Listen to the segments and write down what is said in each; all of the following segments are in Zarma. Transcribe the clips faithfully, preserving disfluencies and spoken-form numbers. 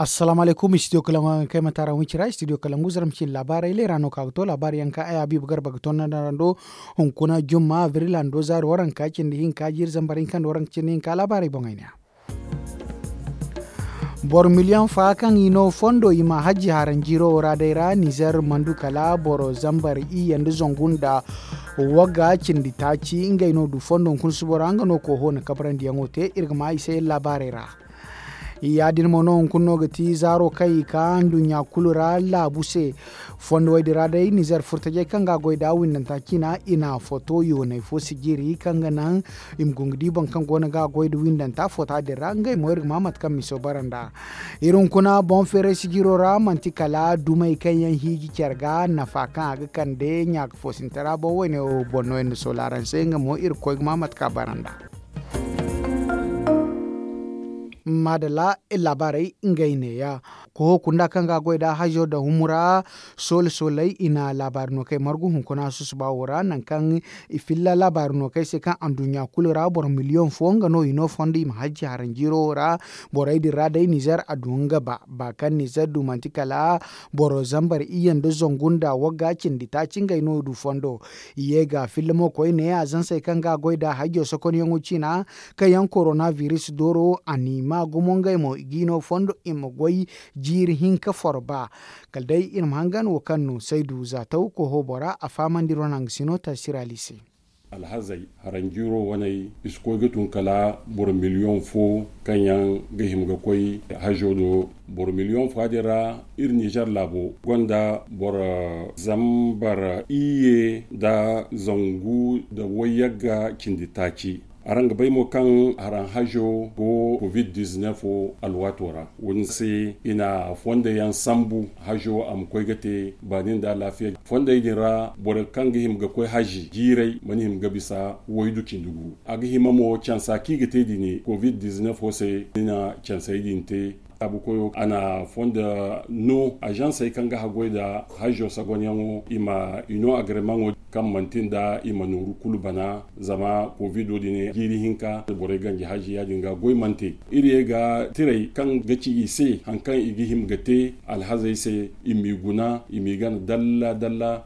Assalamu alaykum, studio kalangu araŋ ga kay mata ra wicira studio kalangu zarma cindi laabaarey leera no ka ga to laabaari yaŋ ka ay habiibu garba ga to nda rando. Hunkuna jumma abril hando zaari waranka cindi hinka jiiri zambar hinka nda waranka cindi hinka laabaarey boŋey ne ya. Boro miliyoŋ fa kaŋ i no fondo i ma hajji haranjiiro wo ra day ra nizer mandu kala boro zambar iyye nda zangu nda wagga cindi taaci ngey no du fondo hunkuna subo ra nga no kooho na kabarandiyaŋo te iri ga ma i se laabaarey ra. Ya- din mo no hunkuna no ga ti zaaro kaŋ i ka nduɲɲa kulu ra laabu se. Fondo wo- din ra day nizer furtajey kaŋ ga a goy nd'a windanta cina i na foto yoonay fo sijiri kaŋ ga naŋ i ma guna ga di boro kaŋ go no ga a goy nda windanta foto din ra ngey mo iri ga ma mate kaŋ miso bara nd'a. Iri hunkuna boŋ feeray sijiro ra manti kala dumey kaŋ yaŋ hiiji care ga nafa kaŋ a ga kande ɲaaka foosintara boŋ wo- ne wo boŋ no yaŋ nda sola araŋ se nga mo iri ga koy ga ma mate kaŋ a bara nd'a. Maadalla, laabaarey ngey neeya. Koho kunda kaŋ ga a goy nd'a hazo nda humura soole sooley i na laabaari no kay margu hunkuna susuba wo ra nangu kaŋ i filla laabaari no kay se kaŋ anduɲɲa kulu ra boro miliyoŋ fo nga no i no fondo i ma hajji haranjiiro wo ra. Borey din ra day nizer a du nga ba ba kaŋ nizer du manti kala boro zambar iyye nda zangu nda wagga cindi taaci ngey no du fondo. I ye ga filla mo koyne azansey kaŋ ga a goy nd'a hajjo sokonyaŋo ciina kaŋ yaŋ korona biris dooro a n'i ma gumo ngey mo i g'i no fondo i ma goy jiiri hinka forba. Kala day iri ma hangan wo kaŋ no saydu za taw koho bora a fahamandi iri wane hangasino taasirali se. Alhazey haranjiiro waney i si koy ga tun kala boro miliyoŋ fo kaŋ yaŋ ga hima ga koy hazo do. Boro miliyoŋ fo din ra iri nizer laabo gonda boro zambar iyye nda zangu nda wayyagga cindi taaci. Araŋ ga bay mo kaŋ haraŋ hazo go covid diznef wo alwaato ra. Wo- din se i na fondo yaŋ sambu hazo a ma koy ga te baani nda alaafiya. Fondey din ra borey kaŋ ga hima ga koy hazi jiirey mana hima ga bisa waydu cindi gu. A ga hima mo cansa kaŋ i ga te din covid diznef wo se i na cansey din te. Laabu koyo a na fondo no azansey kaŋ ga haggoy nda hazo sagonyaŋo i ma i no agremaŋo kaŋ manti nda i ma nooru kulu bana. Zama kovido din jiiri hinka borey ganji hazi ya- din ga goy mana te. Iri ye ga tirey kaŋ ga ci i se hari kaŋ i ga hima ga te alhazey se i m'i guna i m'i gana dalla dalla.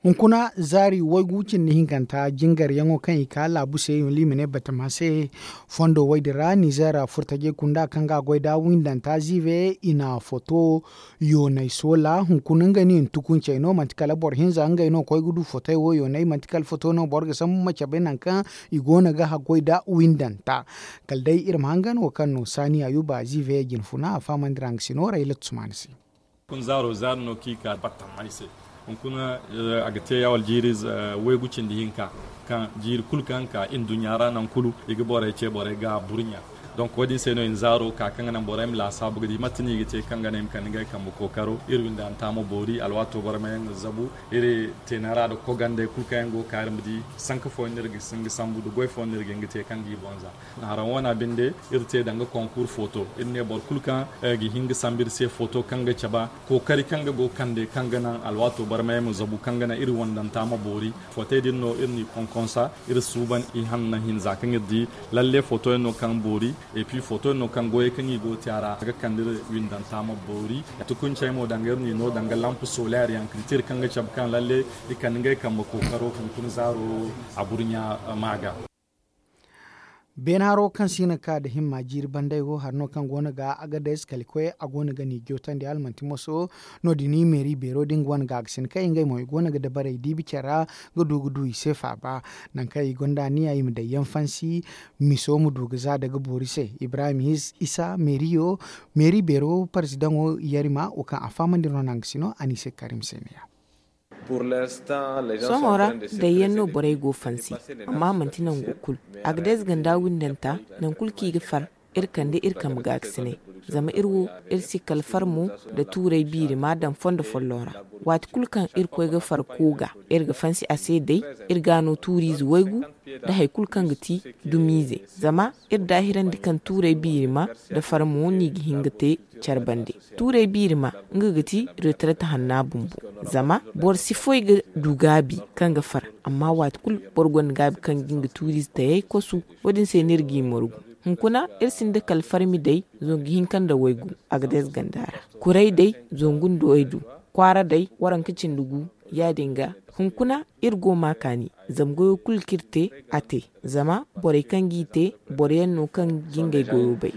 Hunkuna zaari waygu cindi hinkanta jingaryaŋo kaŋ i ka laabu se i ma ne batama se. Fondo wo- din ra nizer furtajey kunda kaŋ ga a goy nd'a windanta ziive i na foto yoonay soola hunkuna ngey no i na tukuncey no manti kala boro hinza ngey no koy ga du fotey wo yoonay manti kala foto no boro ga sambu ma cabe nangu kaŋ i go no ga haggoy nda windanta. Kala day iri ma hangan wo kaŋ no saani ayuba ziive jine funa a fahamandi ra nga si no rayla tusmaani se. Hunkuna zaaro zaari no kaŋ i ka battam ay se. Hunkuna a ga te ya wala jiiri waygu cindi hinka kaŋ jiiri kulu kaŋ ka iri duɲɲa ra nangu kulu i ga borey ce borey ga burɲa. Donk wo- din se no i na zaaro ka kaŋ ga naŋ borey ma laasaabu ga di mate no i ga te kaŋ ga naŋ i ma kande ngey kambe kookaro iri windanta ma boori alwaato borey ma yaŋ ga zabu. Iri teena ra nda kogandey kulu kaŋ yaŋ go ga ka iri ma di sanka fooyaŋ no iri ga hin ga sambu nda goy fooyaŋ no iri ga hin ga te kaŋ ga i boŋ za. Haraŋ wane binde iri te danga konkur foto iri ne boro kulu kaŋ ga hin ga sambu iri se foto kaŋ ga cabe kookari kaŋ ga go ga kande kaŋ ga naŋ alwaato barmay ma zabu kaŋ ga naŋ iri wandanta ma boori. Fotey din no iri n'i konkonsa iri suuban i hanna hinza kaŋ iri di lalle foto yaŋ no kaŋ boori. Epi foto yaŋ no kaŋ goyey kaŋ i go ga te a ra a ga kande iri windanta ma boori. Tukuncey mo danga iri n'i no danga lamp solaire yaŋ kaŋ ti iri kaŋ ga cabe kaŋ lalle i kande ngey kambe kookaro hunkuna zaaro a burɲa ma ga. Beene haro kaŋ si hin ga ka nda himma jiiri banday wo hari no kaŋ go no ga agades kala koy a go no ga ni jootandi hala manti moso. No- din meeri beero da nga wane gaagasin kaŋ ngey mo i go no ga dabarey diibi care ra ga du ga du i se faaba. Nangu kaŋ i gonda niya i ma daŋ yaŋ fansi miso ma du ga za daga boori se ibrahim isa meeriyo. Meeri beero parzidaŋo yarima wo kaŋ a fahamandi no nangu si no a ni se karim se neeya. Sohõ ra, dayyaŋ no borey go fansi, amma manti nangu kulu. Agades ganda windanta, nangu kulu kaŋ i ga far, iri kande iri kambe gaakasinay. Zama iri wo, iri si kala far mo nda tuurey biirima daŋ fondo folloŋ ra. Waati kulu kaŋ iri koy ga far kooga, iri ga fansi a se day, iri ga no tuuriize waygu nda hari kulu kaŋ ga ti dumiize. Zama iri daahirandi kaŋ tuurey biirima nda far mo no i ga hin ga te care bande. Tuurey biirima nga ga ti retraite hanna bumbo. Zama boro si foy ga du gaabi kaŋ ga far, amma waati kulu boro gonda gaabi kaŋ ga nga tuuriize tayey kosu. Wo- din se no iri g'i margu. Hunkuna iri sinda kala farmi day zangu hinka nda waygu. Agades ganda ra kuray day zangu nda waydu, kwaara day waranka cindi gu. Ya- din ga hunkuna iri go ma kaani zama goyo kulu kaŋ iri te, a te. Zama borey kaŋ g'i te, boro yaŋ no kaŋ ga ngey goyo bay.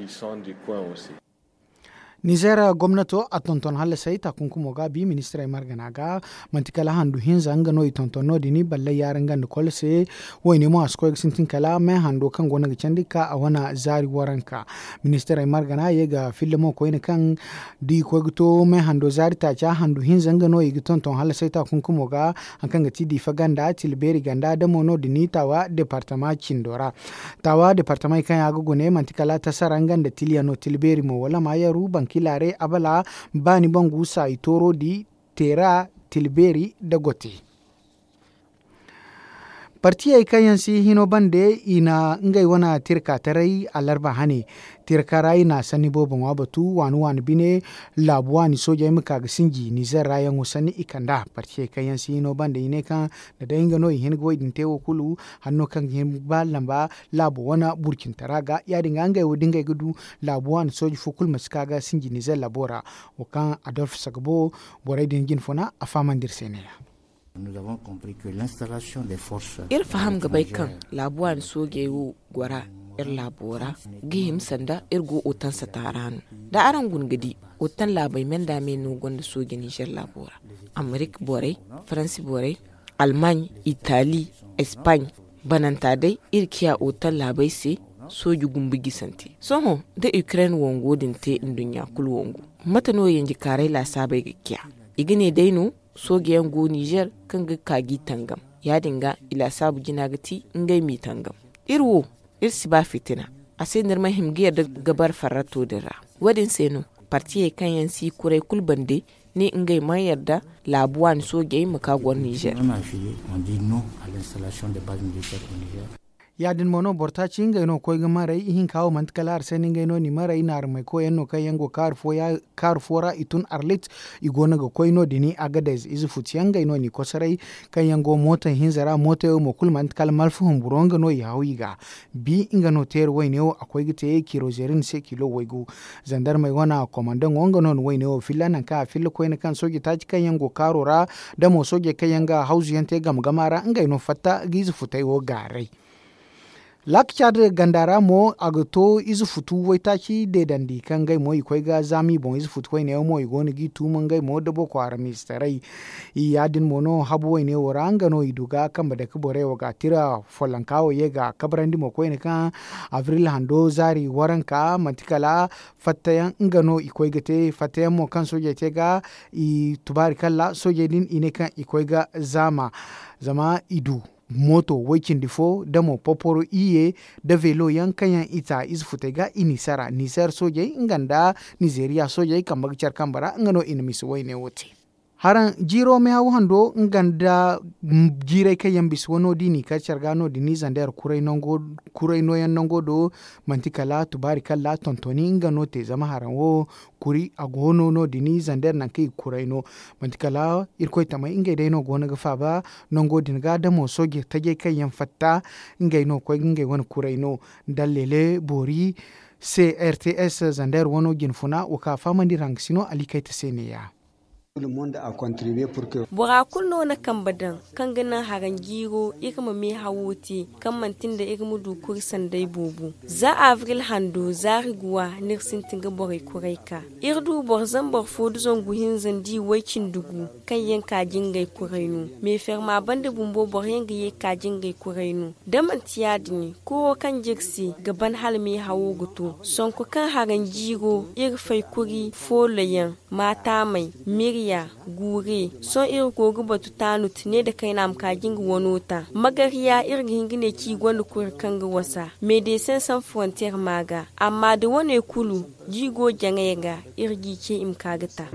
Nizeer gomnato a tonton hallasay taakunkumo ga bi ministirey margana ga. Manti kala handu hinza nga no i tonton no- din ballay yaara nga nda kol se. Wayne mo a si koy ga sintin kala me hando kaŋ go no ga candi ga ka a wane zaari waranka. Ministirey margana ye ga filla mo koyne kaŋ da i koy ga to me hando zaari taaca handu hinza nga no i ga tonton hallasay taakunkumo ga. Hari kaŋ ga ti diifa ganda tila beeri ganda damo no- din taawa departama cindo ra. Taawa departamey kaŋ yaŋ a ga gune manti kala tasara nga nda tiliya no tila beeri mo wala maayaru bankilaare abala, baani bangu saayi tooro di, teera, tila beeri nda gote. Partiyey kaŋ yaŋ si hino bande i na ngey wane tirkataray alarba hane. Tirka ra i na sanni boobo ŋwa batu waani waani bine. Laabu waani soojey ma ka ga sinji nizer ra yaŋo sanni i kand'a partiyey kaŋ yaŋ si hino bande i ne kaŋ da day nga no i hin ga wo- din te wo kulu. Hanno kaŋ ga hin ga ba lamba laabo wane burcintara ga ya- din ga ngey wo da ngey ga du laabu waani sooji fo kulu ma si ka ga sinji nizer laabo ra. Wo kaŋ adolf sagabo borey din jine funa a fahamandi iri se ne-ya. Iri faham ga bay kaŋ laabu waani soojey wo gora iri laabo ra ga hima sanda iri go otansa taara no. Da araŋ guna ga di otan laabey me nda me no gonda sooji nizer laabo ra. Amerik borey, faransi borey, almaaɲ, itali, espaaɲ, bananta day iri ciya otan laabey se. Sooji gumbu gisante sohõ da ukraine wango din te nduɲɲa kulu wangu. Mate no yanjikaaray laasaabey ga ciya? I ga ne day no sooji yaŋ go nizer kaŋ ga ka g'i tangam. Ya- din ga i laasaabu jina ga ti ngey m'i tangam. Iri wo iri si ba fitina. A se no iri ma hima ga yadda ga bare farrato din ra. Wo- din se no partiyey kaŋ yaŋ si kuray kulu bande ne ngey mana yadda laabu waani soojey ma ka goro nizer. Ya- din mo no boro taaci ngey no ga koy ga maray ihinka wo manti kala hari se no ngey no n'i maray naarumey koy yaŋ no kaŋ yaŋ go kaaru fo ra i tun arlit. I go no ga koy no- din agades ize futu yaŋ ngey no n'i kosoray kaŋ yaŋ go mooto hinza ra mootey wo mo kulu manti kala malfa humburo nga no i haw i ga. Bi nga no teeri wayne wo a koy ga te kirozerin se kilo waygu. Zandarmey wane komandaŋo nga no na wayne wo filla nangu kaŋ a filla koyne kaŋ sooje taaci kaŋ yaŋ go kaaro ra da mo soojey kaŋ yaŋ ga hawzu yaŋ te game game ra ngey no fatta ga ize futey wo gaaray. Laaka caada ganda ra mo a ga to ize futu waytaaci deedandi kaŋ ngey mo i koy ga zaama i boŋ ize futu wayne yaŋ mo i go no g'i tuuma ngey mo da boko haram ize taray. Ya- din mo no habu wayne wo ra nga no i du ga kambe dake borey wo ga tira follonka wo ye ga kabrandi mo koyne kaŋ abril hando zaari waranka manti kala fattayaŋ nga no i koy ga te fattayaŋ mo kaŋ soojey te ga i tubaari kalla soojey din i ne kaŋ i koy ga zaama. Zama i du mooto way-cindi fo da mo poporo iyye da veelo yaŋ kaŋ yaŋ i ta ize futey ga i n'i sara nizer soojey nga nda nizeriya soojey kambe ga care kambe ra nga no i na misa wayne wo te. Haraŋ jiiro meehaw hando nga nda jiirey kaŋ yaŋ bisa wano da i n'i kar care ga no- din ni zander kuray nooyaŋ nango do. Manti kala tubaari kalla tontoni nga no te zama haraŋ wo kuri a go no no- din ni zander nangu kaŋ i ga kuray no. Manti kala irkoy tamey ngey day no go no ga faaba nango din ga da mo sooje tajey kaŋ yaŋ fatta ngey no ga koy ga ngey wane kuray no. Ndallele boori se r t s zander wano jine funa wo kaŋ a fahamandi iri haŋ ga si no alikayta se neeya. Bora kulu no na kambe daŋ kaŋ ga naŋ haraŋ jiiro iri ma meehawo te kaŋ manti nda iri ma du kuri sanday boobo. Za abril hando zaari guwa no iri sintin ga borey kuray ka iri du boro zambar fo nda zangu hinza nda i way-cindi gu kaŋ yaŋ ka jingay kuray no. Meeferma banda bumbo boro yaŋ ga ye ka jingay kuray no. Da manti ya- din kuro kaŋ jire se ga ban hala meehawo ga to sonko kaŋ haraŋ jiiro iri fay kuri foolo yaŋ maataamey mirya guure. Sohõ iri go ga batu taanut ne nda kayna ma ka ga nga wano ta magariya iri ga hin ga ne kaŋ i gonda kuri kaŋ ga wasa meedesen san forontiyer ma ga. Amma da wane kulu da i go jaŋey ga iri g'i ce i ma ka ga ta.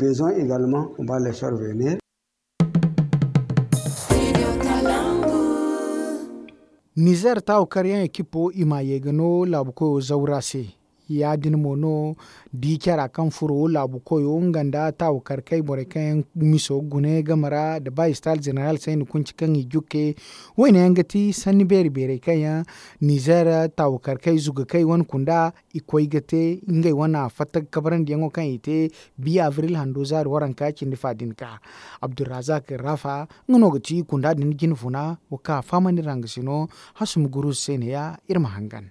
Nizer taawu karyaŋ ekipo i m'a ye ga no laabu koyo zawra se. Ya- din mo no di cara kaŋ furo laabu koyo nga nda taawu karkay borey kaŋ yaŋ miso gune game ra nda ba istal zeneral sayni kunci kaŋ i jukke. Wayne yaŋ ga ti sanni beeri beerey kaŋ yaŋ nizer taawu karkay zugakey wane kunda i koy ga te ngey wane fatta ga kabarandiyaŋo kaŋ i te. Biya abril hando zaari waranka cindi fa din ka abdulrazak rafa nga no ga ti kunda din jinfuna. Wa ka fahamandi ra nga se no. Hasumi guruzu se ne ya iri ma hangan.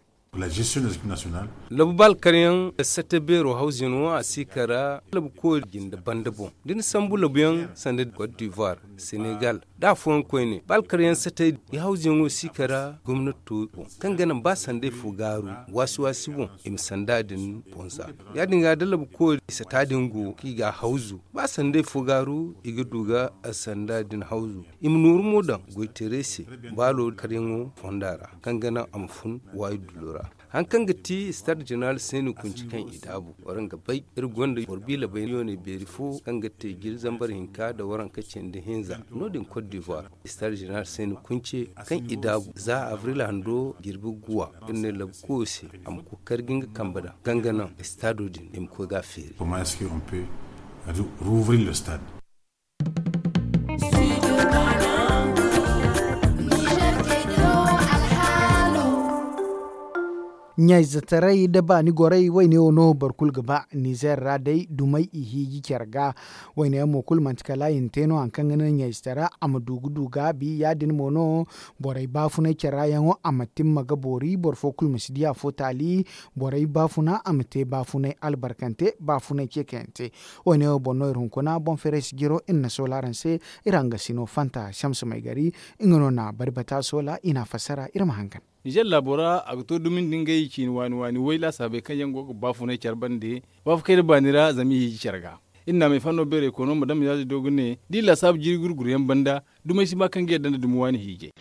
Labu ba alkaryaŋ sate beero hawzino a si kara labu koori jinde banda boŋ da ni sambu labuyaŋ sanda côte d'ivoire, senegal da afooyaŋ koyne ba alkaryaŋ sate i hawziyaŋo si kara gomnato boŋ kaŋ ga naŋ ba sanday fo gaaru waasi waasi boŋ i ma sanda din boŋ za. Ya- din ga da labu koori sata din go kaŋ i ga a hawzu ba sanday fo gaaru i ga du ga sanda din hawzu. I ma nooru mo daŋ goytaray se baalo karyaŋo fonda ra kaŋ ga naŋ a ma fun waayi dulo ra. Hari kaŋ ga ti stade general sayni kunci kaŋ i daabu waraŋ ga bay iri gonda boro biila bayniyooney beeri fo kaŋ ga te jiri zambar hinka nda waranka cindi hinza no- din côte d'ivoire. Stade general sayni kunci kaŋ i daabu za abril hando jirbi guwa iri ne labu koyo se a ma koy ga kar ga nga kambe daŋ kaŋ ga naŋ stado din i ma koy ga a feeri. Ɲayzetaray nda baani goray wayne wo no boro kulu ga ba nizer ra day dumey i hiiji care ga. Wayne yaŋ mo kulu manti kala i na te no hari kaŋ ga naŋ ɲayzetara a ma du ga du gaabi ya- din mo no. Borey baafunay care ra yaŋo a ma timma ga boori boro fo kulu ma si di afo taali. Borey baafuna a ma te baafunay albarkante baafunay ceekayante. Wo- ne wo boŋ no iri hunkuna boŋ feeray sijiro iri na soola araŋ se. Iri hangasino fanta samsa may gari nga no na bari bata soola i na a fassara iri ma hangan. Nizer laabo ra a ga to dumi nda ngey ciini waani waani way laasaabey kaŋ yaŋ go ga baafunay care bande. Baafo kayna baani ra zama i hiiji care ga iri na a may fanno beeray koono ma dam yaazi do ga ne da i laasaabu jiiri gurguru yaŋ banda dumey si ba kaŋ ga yadda nda dumi waani hiijay.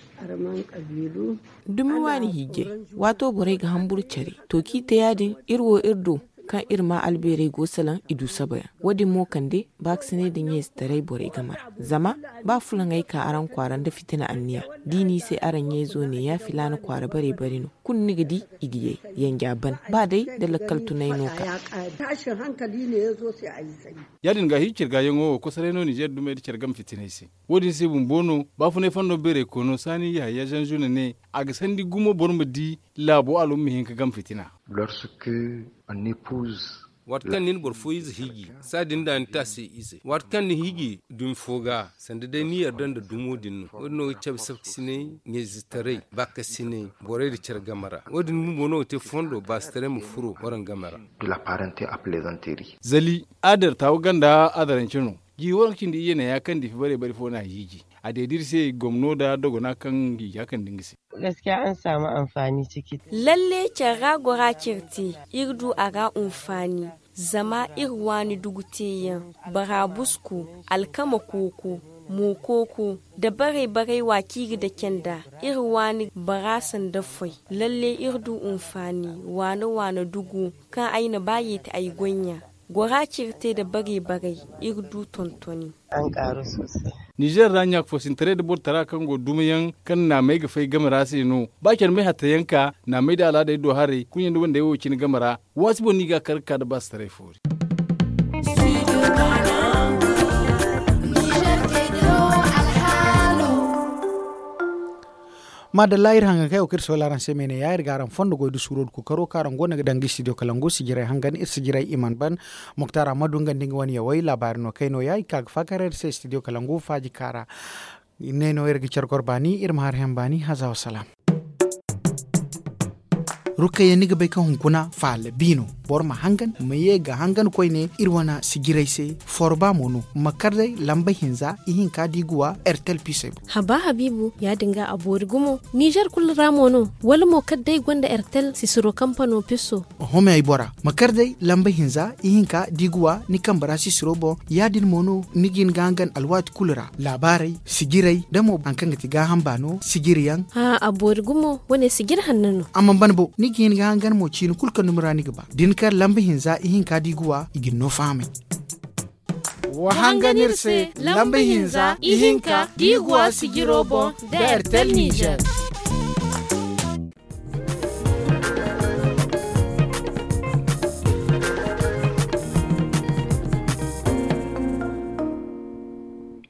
Dumi waani hiijay waato borey ga hamburu care to kaŋ i te ya- din iri wo iri du kaŋ iri ma albeerey go salaŋ i du sabayaŋ wo- din mo kande baakasinay nda ɲayzetaray borey game ra. Zama ba fulaŋey ka araŋ kwaara nda fitina anniya da i ne i se araŋ ɲayzo ne ya filaana kwaara bare bare no kulu ni ga di i ga yay yanja ban ba day nda lakkal tunay no ka. Ya- din ga hiici care ga yaŋo wo kosoray no nizer dumey nda care game fitinay se. Wo- din se bumbo no baafunay fondo beeray koono saani yahaya zanzuna ne a ga sandi gumo boro ma di laabo alum ma hin ga game fitina. Waati kaŋ ni na boro fo ize hiiji saadin da ni te a se ize waati kaŋ ni hiiji dumi fo ga sanda day ni yarda nda dumo din no wo- din no ga cabe safkasinay ɲayzetaray baakasinay borey nda care game ra wo- din bumbo no ga te fondo baasitaray ma furo waraŋ game ra. Zali adar taawu ganda adarance no. Jiiri waranka cindi iyye neeya kaŋ diifi bare bare fo no a hiiji a deedi iri se gomno nda dogona kaŋ hiija kaŋ nda nga se. Lalle care ra gora care te iri du a ra hunfaani. Zama iri waani dugu teeyaŋ barabusku alkama kooko, mo kooko, da baray baray wa kaŋ iri ga dake nd'a. Iri waani bara sanda foy. Lalle iri du hunfaani waana waana dugu kaŋ ay na ba yeeti ay goy ɲa. Gora care te nda baray baray iri du tontoni. Nizer ra ɲaaka foosintaray nda borotara kaŋ go dumayaŋ kaŋ naamey ga fay game ra se no ba care may hattayaŋ ka naamey nda alaadey do haray kuɲey nda wandey wo cine game ra. Waasi boŋ no i ga a kar ga ka nda baasitaray foori. Maadalla iri hangan kaŋ ay wo kaŋ iri soola araŋ se me ne ya iri ga araŋ fondo goy da suuro da kookaro kaŋ araŋ go no ga danga istidiyo kalangu sijirey hangan iri sijirey i mana ban. Muktar ammadu nga nda nga wane yawey laabaari no kay no ya i ga ka ga faakar iri se istidiyo kalangu faaji kaara. Ne no iri ga care goro baani iri ma har hẽen baani haza wa salaam. Rukayya ni ga bay kaŋ hunkuna faala bi no. Boro ma hangan ma ye ga hangan koyne iri wane sijirey se. Forba mo no ma kar day lamba hinza ihinka da i ga wa ertel pisey boŋ. Haba habiibu ya- din ga a boori gumo. Nizer kulu ra mo no wala mo kala day gonda ertel sisiro kampano piso? Oho me ay bora ma kar day lamba hinza ihinka da i ga wa ni kambe ra sisiro boŋ. Ya- din mo no ni ga hin ga hangan alwaati kulu ra laabaarey sijirey da mo hari kaŋ ga ti gaaham baano sijiriyaŋ. A boori gumo wane sijiri hanno no. A mana ban bo ni ga hin ga hangan mo ciini kulu kaŋ dumi ra ni ga ba da ni kar lamba hinza ihinka da i ga wa i ga ni no fahamay. Wa hangan iri se lamba hinza ihinka da i ga wa sijiro boŋ da ertel nizer.